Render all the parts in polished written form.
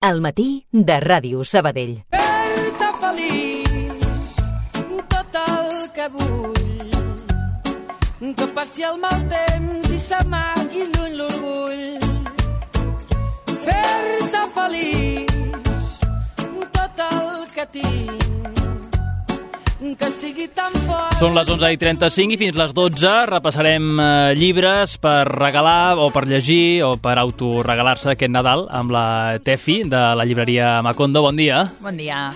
Al matí de Ràdio Sabadell. Fer-te feliç, tot el que vull, que passi el mal temps i s'amagui lluny l'orgull. Fer-te feliç, tot el que tinc, que sigui tan fort. Són les 11:35 i fins les 12 repassarem llibres per regalar o per llegir o per autoregalar-se aquest Nadal amb la Tefi de la llibreria Macondo. Bon dia. Bon dia.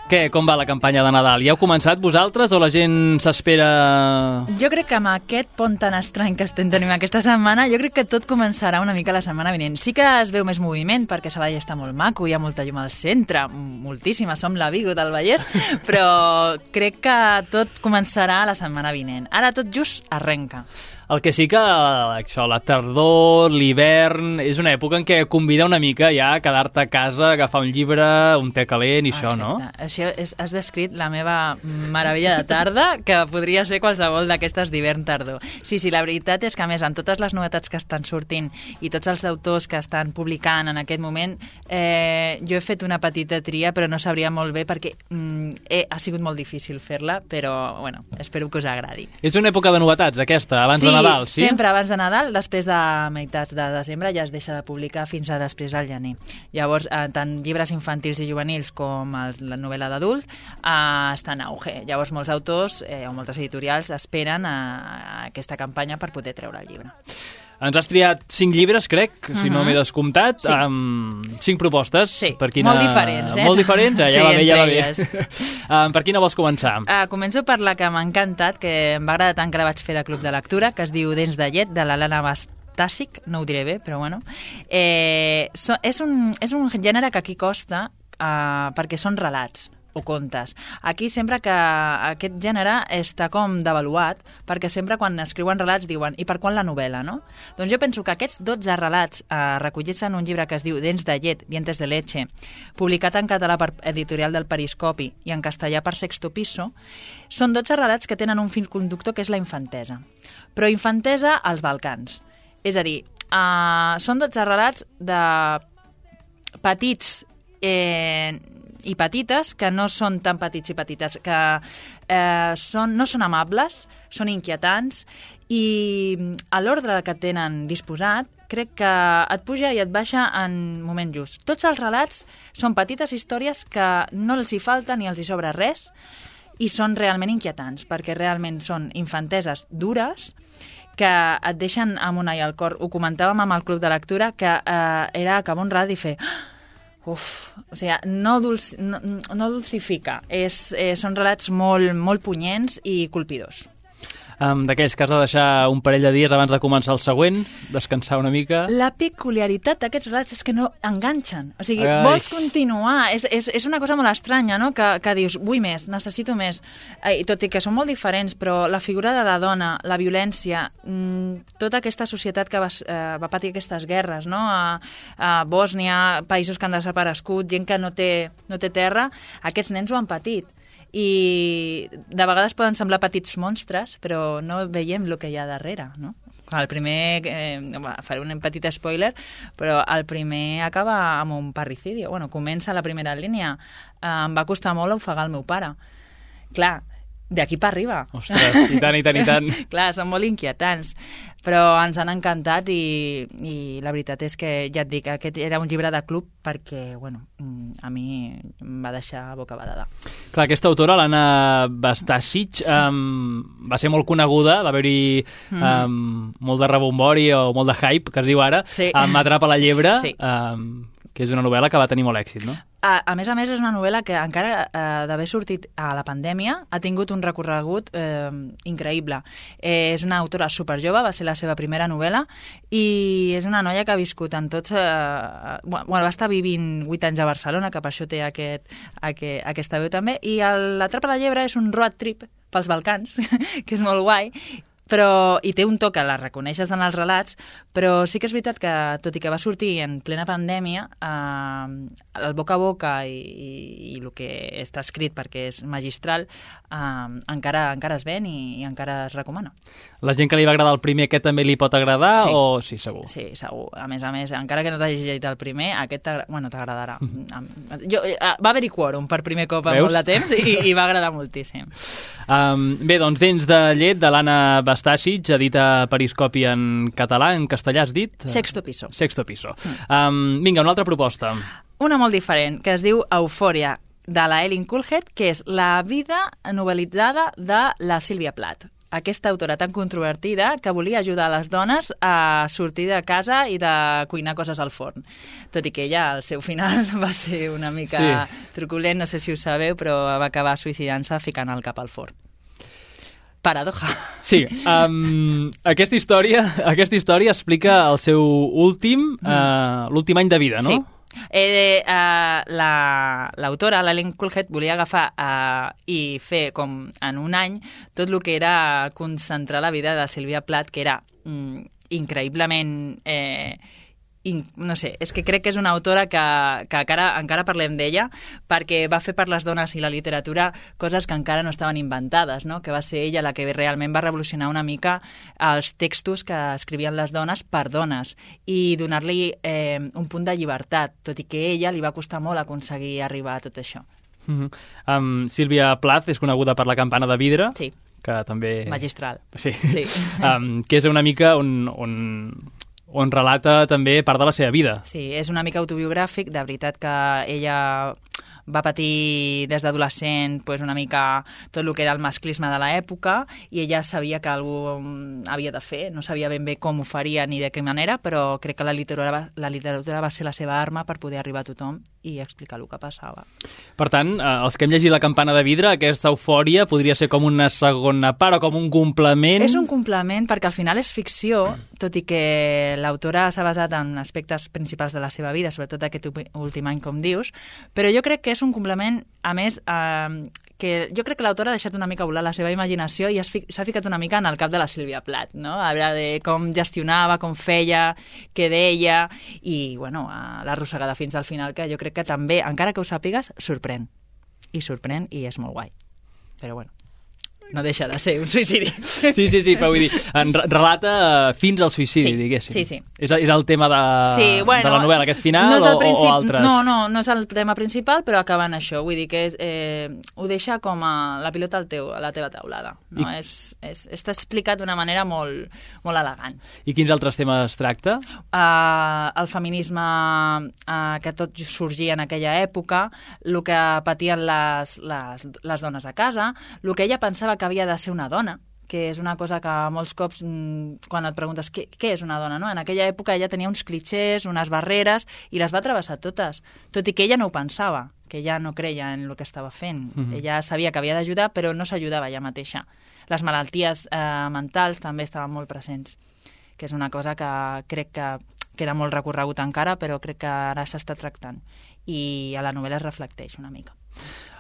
Què, com va la campanya de Nadal? Ja heu començat vosaltres o la gent s'espera? Jo crec que amb aquest pont tan estrany que estem tenint aquesta setmana, jo crec que tot començarà una mica la setmana vinent. Sí que es veu més moviment, perquè Sabadell està molt maco, hi ha molta llum al centre, moltíssima, som la Vigo del Vallès, però crec que tot començarà la setmana vinent. Ara tot just arrenca. El que sí que això, la tardor, l'hivern, és una època en què convida una mica ja a quedar-te a casa, agafar un llibre, un te calent i això, no? Això has descrit la meva meravella de tarda, que podria ser qualsevol d'aquestes d'hivern-tardor. Sí, la veritat és que, a més, amb totes les novetats que estan sortint i tots els autors que estan publicant en aquest moment, jo he fet una petita tria, però no sabria molt bé perquè ha sigut molt difícil fer-la, però, bueno, espero que us agradi. És una època de novetats, aquesta, abans de Nadal, sí? Sempre abans de Nadal, després de meitats de desembre ja es deixa de publicar fins a després del gener. Llavors, tant llibres infantils i juvenils com la novel·la d'adult estan en auge. Llavors, molts autors o moltes editorials esperen a aquesta campanya per poder treure el llibre. Ens has triat 5 llibres, crec, si no m'he descomptat, amb 5 propostes. Sí, molt diferents, Molt diferents? Ja va bé, ja va bé. Per quina vols començar? Començo per la que m'ha encantat, que em va agradar tant que la vaig fer de Club de Lectura, que es diu Dents de llet, de l'Alana Bastàsic, no ho diré bé, però bueno. És un gènere que aquí costa perquè són relats o contes. Aquí sempre que aquest gènere està com devaluat, perquè sempre quan escriuen relats diuen i per quan la novel·la, no? Doncs jo penso que aquests 12 relats recollits en un llibre que es diu Dents de llet, Dientes de leche, publicat en català per Editorial del Periscopi i en castellà per Sexto Piso, són 12 relats que tenen un fil conductor que és la infantesa. Però infantesa als Balcans. És a dir, són 12 relats de petits i petites, que no són tan petits i petites, que no són amables, són inquietants, i a l'ordre que tenen disposat, crec que et puja i et baixa en moment just. Tots els relats són petites històries que no els hi falta ni els hi sobra res, i són realment inquietants, perquè realment són infanteses dures, que et deixen amb un ai al cor. Ho comentàvem amb el Club de Lectura, que era acabar un relat i fer... o sigui, no dulcifica. Són relats molt punyents i colpidors. D'aquells que has de deixar un parell de dies abans de començar el següent, descansar una mica... La peculiaritat d'aquests relats és que no enganxen. O sigui, vols continuar. És una cosa molt estranya, no?, que dius, vull més, necessito més. I tot i que són molt diferents, però la figura de la dona, la violència, tota aquesta societat que va patir aquestes guerres, no?, a Bòsnia, països que han desaparegut, gent que no té terra, aquests nens ho han patit. I de vegades poden semblar petits monstres, però no veiem el que hi ha darrere, no? El primer, faré un petit spoiler, però el primer acaba amb un parricidi. Bueno, comença la primera línia. Em va costar molt ofegar el meu pare. Clar, d'aquí per arriba. Ostres, i tant. Clar, són molt inquietants, però ens han encantat i la veritat és que, ja et dic, aquest era un llibre de club perquè, bueno, a mi em va deixar bocabadada. Clar, aquesta autora, l'Anna Bastàsic, va ser molt coneguda, va haver-hi molt de rebombori o molt de hype, que es diu ara, amb Atrapa la llebre, que és una novel·la que va tenir molt èxit, no? A més, és una novel·la que encara d'haver sortit a la pandèmia ha tingut un recorregut increïble. És una autora superjove, va ser la seva primera novel·la, i és una noia que ha viscut en tots... va estar vivint 8 anys a Barcelona, que per això té aquesta veu també, i l'Atrapa la llebre és un road trip pels Balcans, que és molt guai, i té un to que la reconeixes en els relats, però sí que és veritat que, tot i que va sortir en plena pandèmia, el boca a boca i el que està escrit perquè és magistral, encara es ven i encara es recomana. La gent que li va agradar el primer, aquest també li pot agradar? Sí. O sí, segur? Sí, segur. A més, encara que no t'hagis llegit el primer, aquest t'agradarà. Va haver-hi quòrum per primer cop en molt de temps i va agradar moltíssim. Bé, doncs Dents de llet, de l'Anna Bastàsic, edita Periscopi en català, en castellà has dit? Sexto piso. Sexto piso. Vinga, una altra proposta. Una molt diferent, que es diu Eufòria, de la Eileen Coolhead, que és la vida novelitzada de la Sílvia Plath. Aquesta autora tan controvertida que volia ajudar les dones a sortir de casa i de cuinar coses al forn. Tot i que ella, al seu final, va ser una mica truculent, no sé si ho sabeu, però va acabar suïcidant-se ficant el cap al forn. Paradoja. Sí, aquesta història explica el seu l'últim any de vida, no? Sí. L'autora, l'Eileen Coolhead, volia agafar i fer com en un any tot el que era concentrar la vida de Sílvia Plath, que era increïblement... no sé, és que crec que és una autora que encara parlem d'ella, perquè va fer per les dones i la literatura coses que encara no estaven inventades, no? Que va ser ella la que realment va revolucionar una mica els textos que escrivien les dones per dones i donar-li un punt de llibertat, tot i que a ella li va costar molt aconseguir arribar a tot això. Sílvia Plath és coneguda per La campana de vidre. Sí. Que també... Magistral. Sí. Que és una mica on relata també part de la seva vida. Sí, és una mica autobiogràfic, de veritat que ella va patir des d'adolescent una mica tot el que era el masclisme de l'època i ella sabia que algú havia de fer, no sabia ben bé com ho faria ni de quina manera, però crec que la literatura va ser la seva arma per poder arribar a tothom i explicar el que passava. Per tant, els que hem llegit La campana de vidre, aquesta eufòria podria ser com una segona part o com un complement? És un complement perquè al final és ficció, tot i que l'autora s'ha basat en aspectes principals de la seva vida, sobretot aquest últim any, com dius, però jo crec que és un complement, a més, que jo crec que l'autora ha deixat una mica volar la seva imaginació i s'ha ficat una mica en el cap de la Sílvia Plath, no? Habla de com gestionava, com feia, què deia, i, bueno, l'arrossegada fins al final, que jo crec que també, encara que ho sàpigues, sorprèn. I és molt guai. Però, bueno, no deixa de ser un suïcidi. Sí, però vull dir, relata fins al suïcidi, diguéssim. Sí. És el tema de la novel·la, aquest final, o altres? No és el tema principal, però acabant això. Vull dir que ho deixa com la pilota a la teva taulada. No? Està explicat d'una manera molt, molt elegant. I quins altres temes tracta? El feminisme que tot sorgia en aquella època, el que patien les dones a casa, el que ella pensava que havia de ser una dona, que és una cosa que molts cops, quan et preguntes què és una dona, no? En aquella època ella tenia uns clixés, unes barreres, i les va travessar totes, tot i que ella no ho pensava, que ella no creia en el que estava fent. Ella sabia que havia d'ajudar, però no s'ajudava ella mateixa. Les malalties mentals també estaven molt presents, que és una cosa que crec que queda molt recorregut encara, però crec que ara s'està tractant. I a la novel·la es reflecteix una mica.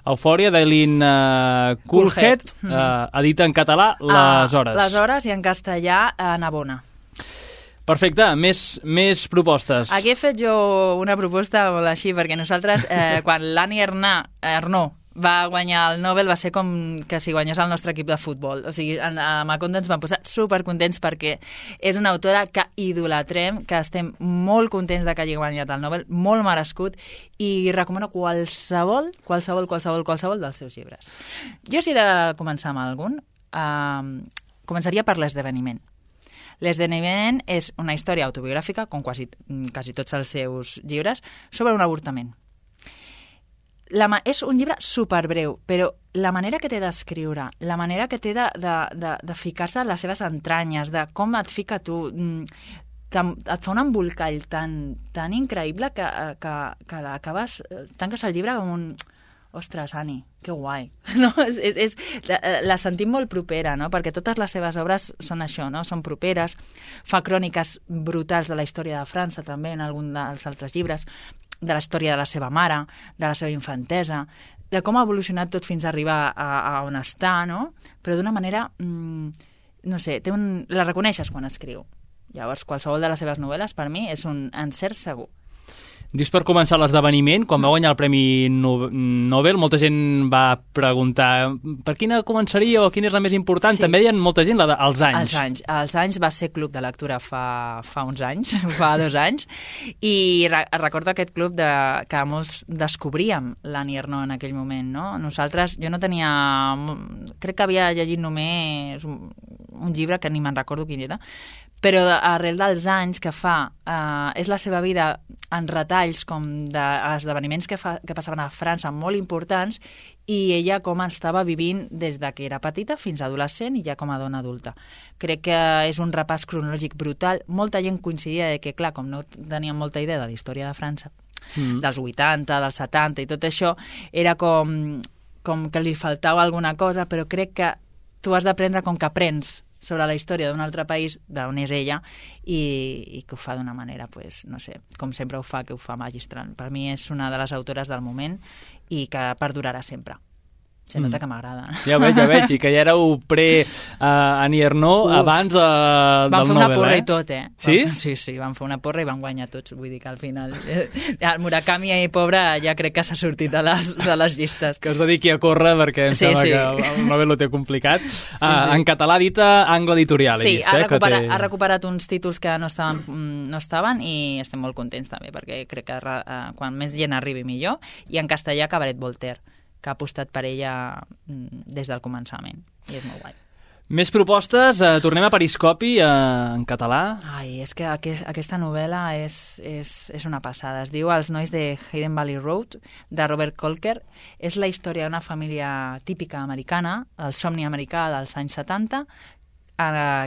Eufòria, d'Eileen Coolhead, edita en català Les Hores. Les Hores i en castellà Navona. Perfecte, més propostes. Aquí he fet jo una proposta molt així, perquè nosaltres, quan l'Annie Ernaux va guanyar el Nobel, va ser com que si guanyés el nostre equip de futbol. O sigui, a Macondo ens vam posar supercontents perquè és una autora que idolatrem, que estem molt contents de que hagi guanyat el Nobel, molt merescut, i recomano qualsevol dels seus llibres. Jo, si he de començar amb algun, començaria per L'esdeveniment. L'esdeveniment és una història autobiogràfica, com quasi tots els seus llibres, sobre un avortament. És un llibre superbreu, però la manera que té d'escriure, la manera que té de ficar-se en les seves entranyes, de com et fica tu, et fa un embolcall tan increïble que l'acabes, tanques el llibre com un... Ostres, Annie, que guai. No? La sentim molt propera, no? Perquè totes les seves obres són això, no? Són properes, fa cròniques brutals de la història de França, també, en algun dels altres llibres, de la història de la seva mare, de la seva infantesa, de com ha evolucionat tot fins a arribar a on està, no? Però d'una manera no sé, la reconeixes quan escriu. Llavors, qualsevol de les seves novel·les, per mi, és un encert segur. Dius per començar l'esdeveniment, quan va guanyar el Premi Nobel, molta gent va preguntar per quina començaria o quina és la més important. Sí. També deien molta gent als anys. Els anys va ser club de lectura fa uns anys, fa 2 anys, i recordo aquest club que molts descobríem l'Annie Ernaux en aquell moment, no? Nosaltres, jo no tenia... Crec que havia llegit només un llibre que ni me'n recordo quin era, però arrel dels anys que fa, és la seva vida en retalls com d'esdeveniments que passaven a França molt importants, i ella com estava vivint des de que era petita fins a adolescent i ja com a dona adulta. Crec que és un repàs cronològic brutal. Molta gent coincidia que, clar, com no teníem molta idea de la història de França, dels 80, dels 70 i tot això, era com que li faltava alguna cosa, però crec que tu has d'aprendre com que aprens sobre la història d'un altre país, d'on és ella, i que ho fa d'una manera, pues, no sé, com sempre ho fa, que ho fa magistral. Per mi és una de les autores del moment i que perdurarà sempre. Se nota que m'agrada. Ja ho veig, i que ja éreu pre-Annie Ernaux abans del Nobel. Vam fer una porra i tot, Sí? Sí, vam fer una porra i vam guanyar tots. Vull dir que al final el Murakami, pobre, ja crec que s'ha sortit de les llistes. Que es dediqui a córrer perquè em sembla que el Nobel ho té complicat. En català dita Angle Editorial. Sí, ha recuperat uns títols que no estaven i estem molt contents també, perquè crec que quan més gent arribi millor. I en castellà Cabaret Voltaire, que ha apostat per ella des del començament, i és molt guai. Més propostes, tornem a Periscopi en català. Ai, és que aquesta novel·la és una passada. Es diu Els nois de Hayden Valley Road, de Robert Kolker. És la història d'una família típica americana, el somni americà dels anys 70,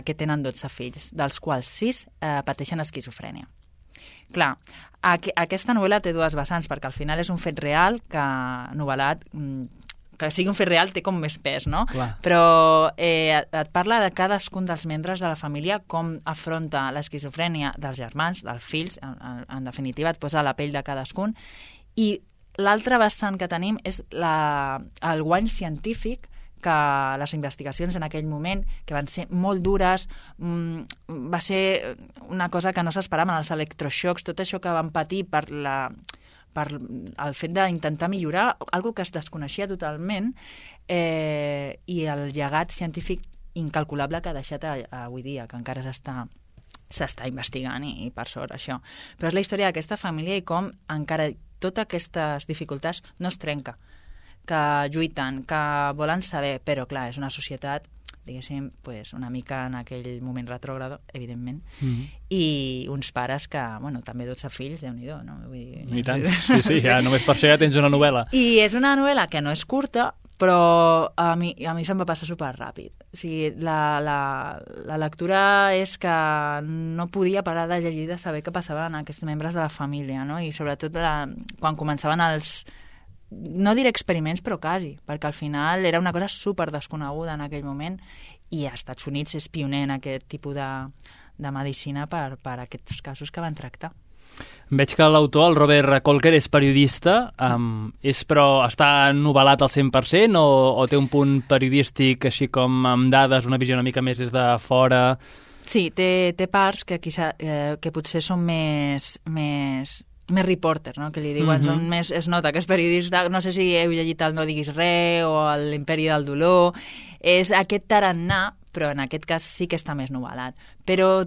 que tenen 12 fills, dels quals 6 pateixen esquizofrènia. Clar, aquesta novel·la té 2 vessants, perquè al final és un fet real que novel·lat, que sigui un fet real té com més pes, no? Clar. Però et parla de cadascun dels membres de la família, com afronta l'esquizofrènia dels germans, dels fills, en definitiva et posa a la pell de cadascun, i l'altre vessant que tenim és el guany científic que les investigacions en aquell moment, que van ser molt dures, va ser una cosa que no s'esperaven, els electroxocs, tot això que van patir per el fet d'intentar millorar, algo que es desconeixia totalment, i el llegat científic incalculable que ha deixat avui dia, que encara s'està investigant, i per sort això. Però és la història d'aquesta família i com encara totes aquestes dificultats no es trenca, que lluiten, que volen saber, però clar, és una societat, diguéssim, pues, una mica en aquell moment retrògrado, evidentment, i uns pares que, bueno, també 12 fills, Déu-n'hi-do, no? Vull dir, i tant, sí, ja només per això ja tens una novel·la. I és una novel·la que no és curta, però a mi se'm va passar superràpid. O sigui, la lectura és que no podia parar de llegir, de saber què passava en aquests membres de la família, no? I sobretot quan començaven no diré experiments, però quasi, perquè al final era una cosa super desconeguda en aquell moment, i als Estats Units és pioner en aquest tipus de medicina per aquests casos que van tractar. Veig que l'autor, el Robert Kolker, és periodista, però està novel·lat al 100% o té un punt periodístic així com amb dades, una visió una mica més des de fora? Sí, té parts que potser són més reporter, no? Que li diuen, es nota que és periodista, no sé si heu llegit el No diguis res o l'Imperi del dolor, és aquest tarannà, però en aquest cas sí que està més novel·lat. Però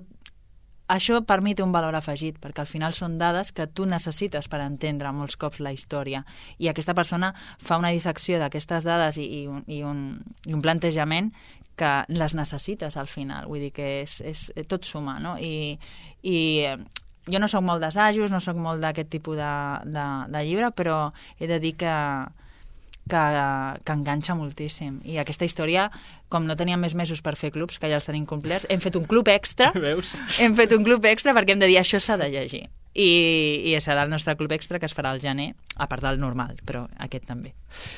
això per mi té un valor afegit, perquè al final són dades que tu necessites per entendre molts cops la història, i aquesta persona fa una dissecció d'aquestes dades i un plantejament que les necessites al final, vull dir que tot suma, no? I jo no soc molt d'assajos, no soc molt d'aquest tipus de llibre, però he de dir que enganxa moltíssim. I aquesta història, com no teníem més mesos per fer clubs, que ja els tenim complerts, hem fet un club extra. Veus? Hem fet un club extra perquè hem de dir això s'ha de llegir. i serà el nostre club extra que es farà al gener, a part del normal, però aquest també.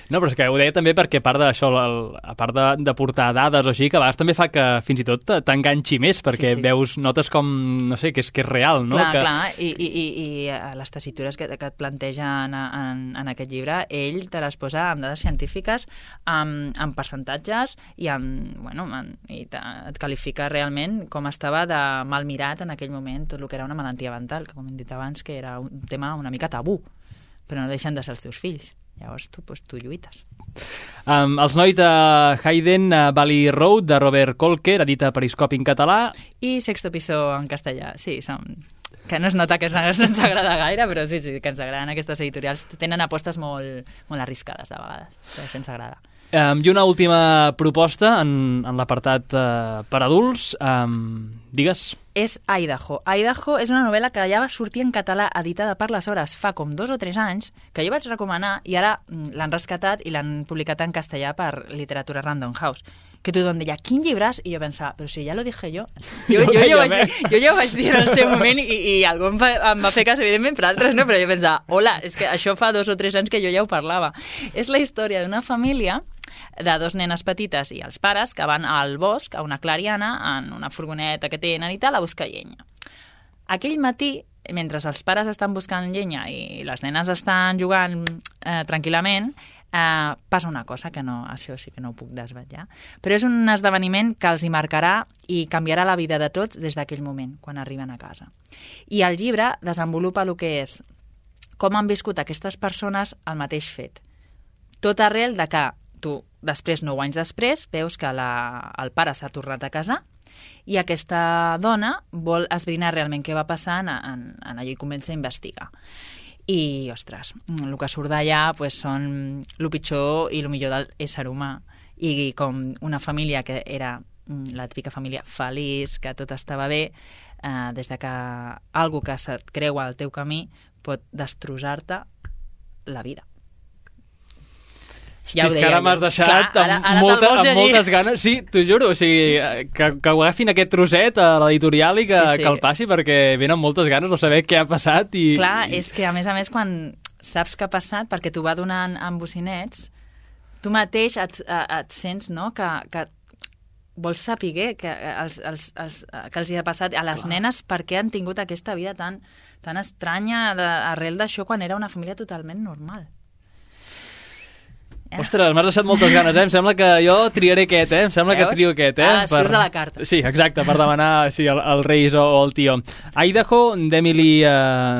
No, però és que ho deia també perquè a part d'això, a part de portar dades o així, que a vegades també fa que fins i tot t'enganxi més, perquè veus, notes com, no sé, que és real, no? Clar, i les tessitures que et plantegen en aquest llibre, ell te les posa amb dades científiques, amb percentatges i et qualifica realment com estava de mal mirat en aquell moment tot el que era una malaltia mental, que com hem dit abans que era un tema una mica tabú, però no deixen de ser els teus fills. Llavors tu lluites. Els nois de Hayden, Valley Road, de Robert Kolker, edita a Periscopi en català. I Sexto Piso en castellà, sí, que no es nota que no ens agrada gaire, però sí, que ens agraden aquestes editorials. Tenen apostes molt arriscades, de vegades, però això ens agrada. I una última proposta en l'apartat per adults. Digues. És Idaho. Idaho és una novel·la que ja va sortir en català editada per les Hores fa com 2 o 3 anys, que jo vaig recomanar i ara l'han rescatat i l'han publicat en castellà per Literatura Random House. Que tothom deia, quin llibràs? I jo pensava, però si ja lo dije jo. Jo ja ho vaig dir en el seu moment i algú em va fer cas, evidentment, però altres no, però jo pensava, hola, és que això fa 2 o 3 anys que jo ja ho parlava. És la història d'una família de 2 nenes petites i els pares que van al bosc, a una clariana, en una furgoneta que tenen i tal, a buscar llenya. Aquell matí, mentre els pares estan buscant llenya i les nenes estan jugant tranquil·lament, passa una cosa que això sí que no ho puc desvetllar, però és un esdeveniment que els hi marcarà i canviarà la vida de tots des d'aquell moment, quan arriben a casa. I el llibre desenvolupa el que és com han viscut aquestes persones el mateix fet. Tot arrel de que tu, després, 9 anys després, veus que el pare s'ha tornat a casar i aquesta dona vol esbrinar realment què va passar en allò i comença a investigar. I, ostres, el que surt d'allà són el pitjor i el millor de l'ésser humà. I com una família que era la típica família feliç, que tot estava bé, des de que algú que se't creua al teu camí pot destrossar-te la vida. Ja és que ara m'has deixat amb moltes ganes. Sí, t'ho juro, o sigui, que ho agafin aquest trosset a l'editorial i que el passi, perquè venen moltes ganes de saber què ha passat. Clar, és que a més, quan saps què ha passat, perquè t'ho va donant amb bocinets, tu mateix et sents, no?, que vols saber que els hi ha passat a les nenes per què han tingut aquesta vida tan estranya arrel d'això quan era una família totalment normal. Ostres, m'has deixat moltes ganes, Em sembla que jo triaré aquest, Em sembla que trio aquest, escrius a la carta. Sí, exacte, per demanar al Reis o al tio. Idaho, d'Emily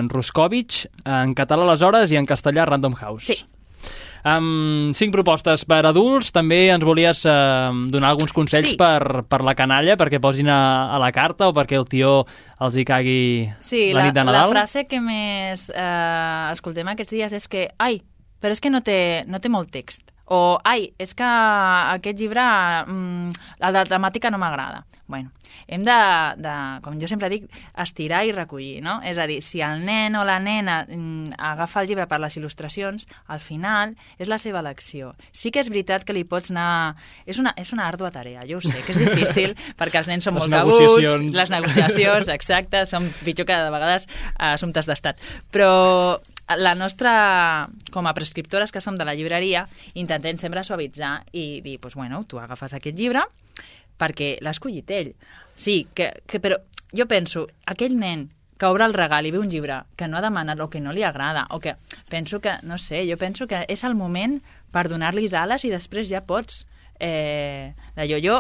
Ruskovich, en català aleshores i en castellà Random House. Sí. 5 propostes per adults. També ens volies donar alguns consells per la canalla, perquè posin a la carta o perquè el tio els hi cagui la nit de Nadal? La frase que més escoltem aquests dies és que, però és que no té molt text. O, és que aquest llibre, la temàtica no m'agrada. Bueno, hem de, com jo sempre dic, estirar i recollir, no? És a dir, si el nen o la nena agafa el llibre per les il·lustracions, al final és la seva elecció. Sí que és veritat que li pots anar... És una àrdua tarea, jo ho sé, que és difícil, perquè els nens són molt cabuts, les negociacions, exacte, són pitjor que de vegades assumptes d'estat. Però la nostra, com a prescriptores que som de la llibreria, intentem sempre suavitzar i dir, tu agafes aquest llibre perquè l'ha escollit ell. Sí, però jo penso, aquell nen que obre el regal i ve un llibre que no ha demanat o que no li agrada, o que penso que, no sé, jo penso que és el moment per donar-li ales i després ja pots... Jo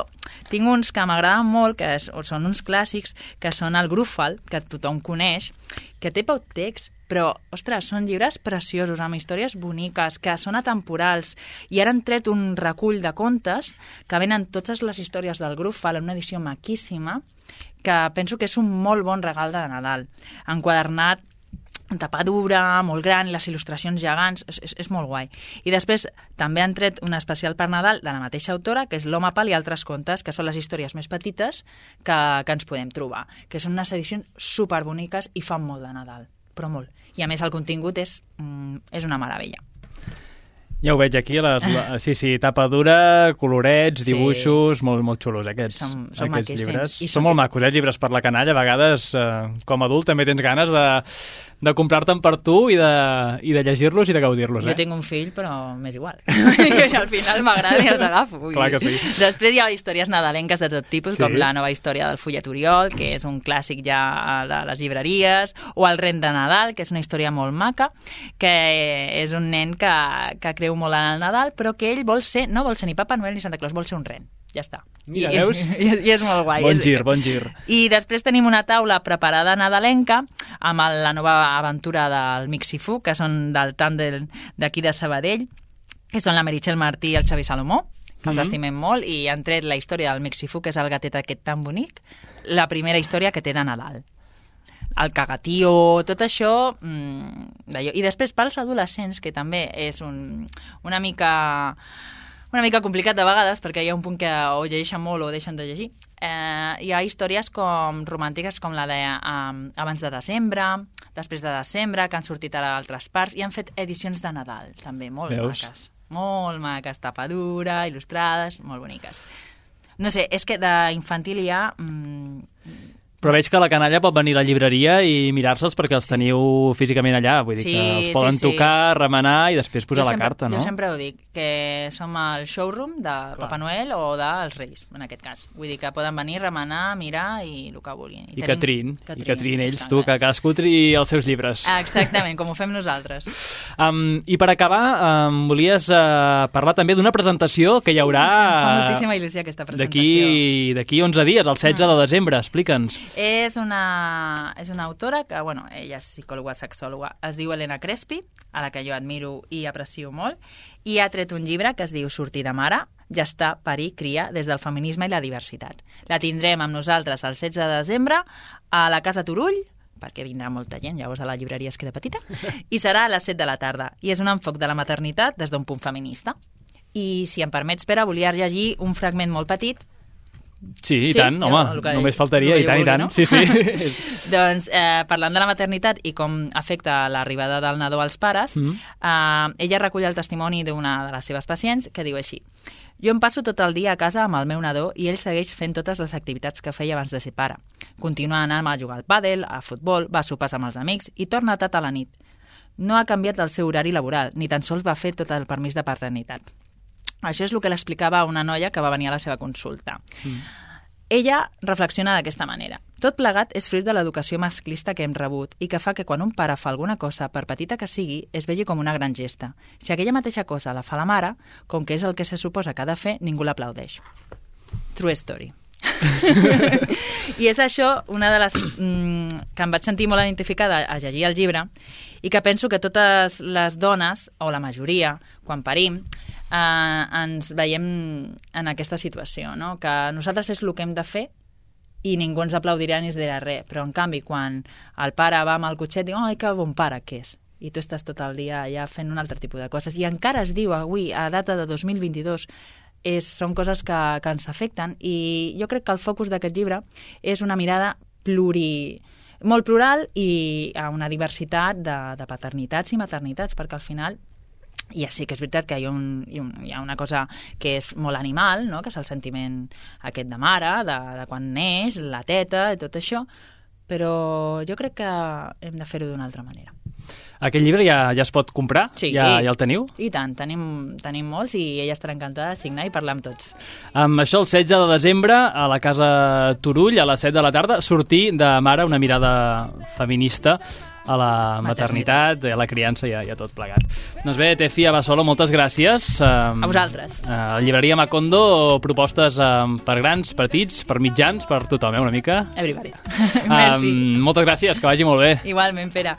tinc uns que m'agraden molt, que són uns clàssics, que són el Grúfal, que tothom coneix, que té poc text, però, ostres, són llibres preciosos, amb històries boniques, que són atemporals, i ara han tret un recull de contes que venen totes les històries del Grúfal en una edició maquíssima, que penso que és un molt bon regal de Nadal, enquadernat, en tapadura, molt gran, les il·lustracions gegants, és molt guai. I després també han tret un especial per Nadal de la mateixa autora, que és L'Home Pal i altres contes, que són les històries més petites que ens podem trobar, que són unes edicions superboniques i fan molt de Nadal, però molt. I a més el contingut és una meravella. Ja ho veig aquí, sí, tapa dura, colorets, dibuixos, molt xulos aquests llibres. Són molt macos, llibres per la canalla. A vegades, com a adult, també tens ganes de comprar-te'n per tu i de llegir-los i de gaudir-los. Jo tinc un fill, però m'és igual. Al final m'agrada i els agafo. Clar que sí. Després hi ha històries nadalenques de tot tipus, com la nova història del Fullet Oriol, que és un clàssic ja de les llibreries, o el Ren de Nadal, que és una història molt maca, que és un nen que creu molt en el Nadal, però que ell no vol ser ni Papa Noel ni Santa Claus, vol ser un ren. Ja està. Mira, veus? I és molt guai. Bon gir. I després tenim una taula preparada nadalenca amb la nova aventura del Mixifu, que són del tàndem d'aquí de Sabadell, que són la Meritxell Martí i el Xavi Salomó, que els estimem molt, i han tret la història del Mixifu, que és el gatet aquest tan bonic, la primera història que té de Nadal. El cagatío, tot això d'allò. I després pels adolescents, que també és una mica complicat de vegades, perquè hi ha un punt que o llegeixen molt o deixen de llegir. Hi ha històries romàntiques com la de abans de desembre, després de desembre, que han sortit ara a altres parts, i han fet edicions de Nadal, també, molt maques. Molt maques, tapadura, il·lustrades, molt boniques. No sé, és que d'infantil hi ha... Però veig que la canalla pot venir a la llibreria i mirar-se'ls perquè els teniu físicament allà. Vull dir que els poden tocar, remenar i després posar la carta, no? Jo sempre ho dic, que som al showroom de Papa Noel o dels Reis, en aquest cas. Vull dir que poden venir, remenar, mirar i el que vulguin. I Catrín, ells, tu, que cadascú triï els seus llibres. Exactament, com ho fem nosaltres. I per acabar, volies parlar també d'una presentació que hi haurà... Fa moltíssima il·lusió aquesta presentació. D'aquí 11 dies, el 16 de desembre, explica'ns. És una autora que, ella és psicòloga, sexòloga, es diu Helena Crespi, a la que jo admiro i aprecio molt, i ha tret un llibre que es diu Sortir de mare, gestar, parir, criar des del feminisme i la diversitat. La tindrem amb nosaltres el 16 de desembre a la Casa Turull, perquè vindrà molta gent, llavors a la llibreria es queda petita, i serà a les 7 de la tarda. I és un enfoc de la maternitat des d'un punt feminista. I, si em permets, Pere, volia llegir un fragment molt petit. Sí, i tant, home, només faltaria, i tant. No? Sí. Doncs, parlant de la maternitat i com afecta l'arribada del nadó als pares, ella recull el testimoni d'una de les seves pacients que diu així: jo em passo tot el dia a casa amb el meu nadó i ell segueix fent totes les activitats que feia abans de ser pare. Continua anant a jugar al pàdel, a futbol, va a sopars amb els amics i torna tard a la nit. No ha canviat el seu horari laboral, ni tan sols va fer tot el permís de paternitat. Això és el que l'explicava una noia que va venir a la seva consulta. Ella reflexiona d'aquesta manera. Tot plegat és fruit de l'educació masclista que hem rebut i que fa que quan un pare fa alguna cosa, per petita que sigui, es vegi com una gran gesta. Si aquella mateixa cosa la fa la mare, com que és el que se suposa que ha de fer, ningú l'aplaudeix. True story. I és això una de les que em vaig sentir molt identificada a llegir el llibre i que penso que totes les dones, o la majoria, quan parim, ens veiem en aquesta situació, no? Que nosaltres és el que hem de fer i ningú ens aplaudirà ni ens dirà res, però en canvi quan el pare va amb el cotxet diu, ai, que bon pare que és, i tu estàs tot el dia allà fent un altre tipus de coses, i encara es diu avui, a data de 2022, són coses que ens afecten, i jo crec que el focus d'aquest llibre és una mirada molt plural i a una diversitat de paternitats i maternitats, perquè al final ja sí que és veritat que hi ha una cosa que és molt animal, no? Que és el sentiment aquest de mare, de quan neix, la teta i tot això, però jo crec que hem de fer-ho d'una altra manera. Aquest llibre ja es pot comprar? Sí, ja el teniu? I tant, tenim molts i ella estarà encantada de signar i parlar amb tots. Amb això, el 16 de desembre, a la Casa Turull, a les 7 de la tarda, sortir de mare, una mirada feminista a la maternitat, a la criança i a tot plegat. Doncs bé, Tefi Abasolo, moltes gràcies. A vosaltres. A Llibreria Macondo, propostes per grans, petits, per mitjans, per tothom, una mica. Everybody. Merci. Moltes gràcies, que vagi molt bé. Igualment, Pere.